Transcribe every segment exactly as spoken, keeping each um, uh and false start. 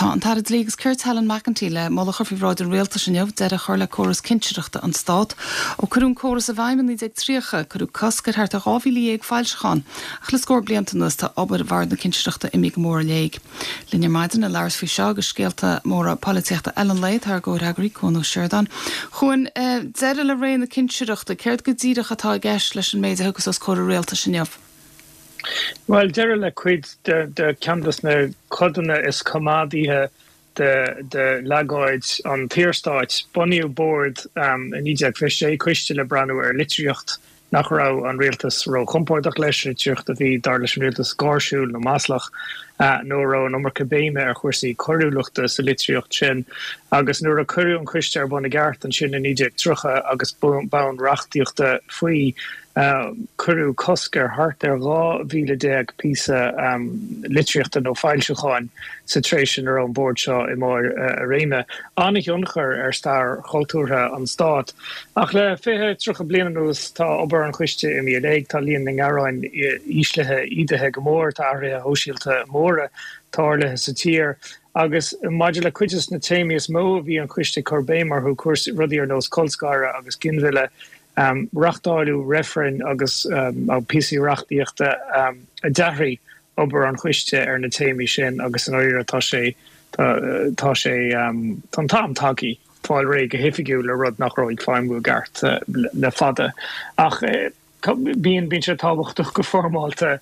Tá an tAire Dlí agus Cirt Helen McEntee le moladh a chur faoi bhráid an rialtais inniu deireadh a chur le córas cinsireachta an Stát. Ó cuireadh an córas i bhfeidhm i naoi déag tríocha, cuireadh cosc ar thart ar dhá mhíle dhéag foilseachán, ach le scór blianta anuas tá obair Bhord na Cinsireachta imithe go mór i léig. Linn ar maidin le labhairt faoi seo agus scéalta móra polaitíochta eile an lae tá ár gcomhfhreagraí Cuan Ó Seireadáin. A Chuain, deireadh le ré na cinsireachta, céard go díreach atá i gceist leis an méid a thiocfas os comhair an rialtais inniu? Bhuel, deireadh le cuid de ceann de na codanna is coimeádaithe de de leagáid an tSaorstáit. Bunaíodh bord i naoi déag fiche sé, coiste le breathnú ar litríocht nach raibh an rialtas róchompordach leis, litríocht a bhí, dar leis an rialtas, gáirsiúil nó maslach, nó a raibh an iomarca béime ar chúrsaí coiriúlachta sa litríocht sin. Agus nuair a cuireadh an coiste ar bun i gceart ansin i naoi déag tríocha agus bonn reachtaíochta faoi, Cuireadh cosc ar thart ar dhá mhíle déag píosa litríochta nó foilseacháin sa tréimhse ina raibh an bord seo i mbarr a réime. An-thionchar ar stair chultúrtha an stáit. Ach le fiche, tríocha bliain anuas tá obair an choiste imithe i léig, tá líon na ngearán íslithe, ídithe go mór, tá athruithe shóisialta móra tarlaithe sa tír. Agus maidir le cuid de na téamaí is mó a bhí an coiste ag cur béim orthu, cúrsaí, rudaí ar nós colscaradh agus ginmhilleadh, Reáchtáileadh reifrinn agus píosaí reachtaíochta a d'athraigh obair an choiste ar na téamaí sin agus i ndáiríre tá sé tá sé tá an t-am tagtha fáil réidh go hoifigiúil le rud nach raibh ag feidhmiú i gceart le fada. Ach bíonn bíonn sé tábhachtach go foirmeálta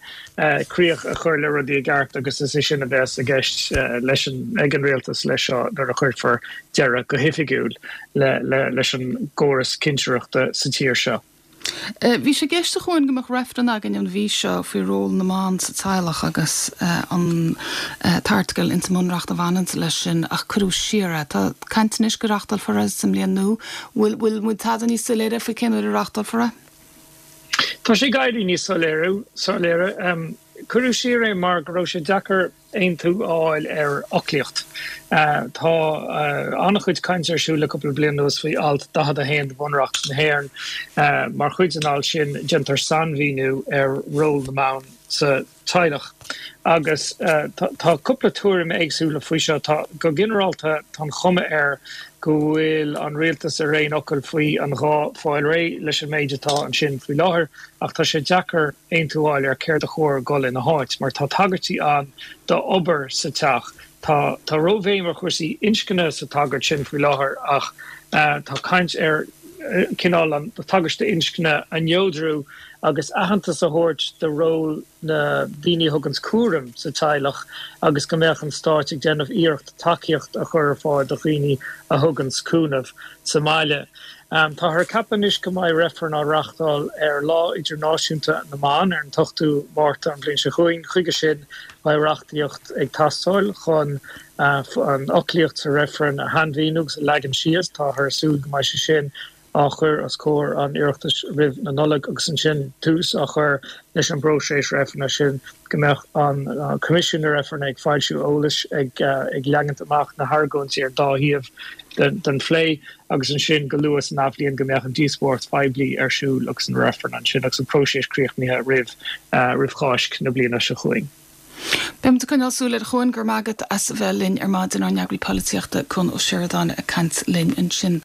críoch a chur le rudaí i gceart agus is é sin a bheas i gceist leis an ag an rialtas leis seo nuair a chuirfear deireadh go hoifigiúil le leis an gcóras cinsireachta sa tír seo. Bhí sé i gceist a Chuain go mbeadh reifreann againn an mhí seo faoi ról na mban sa teaghlach agus an t-airteagal ins an mBunreacht a bhaineann leis sin ach cuireadh siar é. Tá caint anois go reáchtálfar é sa mbliain nua. Bhfuil bhfuil muid tada níos soiléire faoi cén uair a reáchtálfar é? Tá sé ag éirí níos soiléire. Cuireadh siar é mar go raibh sé deacair aontú a fháil ar fhoclaíocht. Tá an-chuid cainte ar siúl le cúpla bliain anuas faoi Alt daichead a haon de Bhunreacht na hÉireann. Mar chuid den alt sin, déantar sainmhíniú ar ról na mban sa teaghlach. Agus tá cúpla tuairim éagsúla faoi seo. Tá, go ginearálta, tá an chuma air go bhfuil an rialtas ar aon fhocal faoi an ghá fáil réidh leis an méid atá ansin faoi láthair, ach tá sé deacair aontú a fháil ar céard a chóir dul ina háit, mar tá tagairtí ann d'obair sa teach. Tá tá róbhéim ar chúrsaí inscne sa tagairt sin faoi láthair, ach tá caint ar cineál an tagairt d'inscne a neodrú agus aitheantas a thabhairt do ról na daoine a thuganns cúram sa teaghlach agus go mbeadh an stáit ag déanamh iarracht tacaíocht a chur ar fáil do dhaoine a thuganns cúnamh sa mbaile. Táthar ag ceapadh anois go mbeidh reifreann á reáchtáil ar Lá Idirnáisiúnta na mBan ar an t-ochtú Márta an bhliain seo chugainn. Chuige sin beidh reachtaíocht ag teastáil chun an fhoclaíocht sa reifreann a shainmhíniú agus a leagan síos. Táthar ag súil go mbeidh sé sin á chur os comhair an Oireachtais roimh na Nollag agus ansin tús á chur leis an bpróiseas reifrinn sin, go mbeadh an Coimisiún na Reifreann ag foilsiú eolais, ag leagaint amach na hargóintí ar an dá thaobh den phlé agus ansin go luath san athbhliain go mbeadh an díospóireacht phoiblí ar siúl agus an reifreann ansin agus an próiseas críochnaithe roimh roimh Cháisc na bliana seo chugainn. Beidh muid ag coinneáil súil air a Chuain, go raibh maith agat as a bheith linn ar maidin, ár n-eagraí polaitíochta Cuan Ó Seireadáin ag caint linn ansin.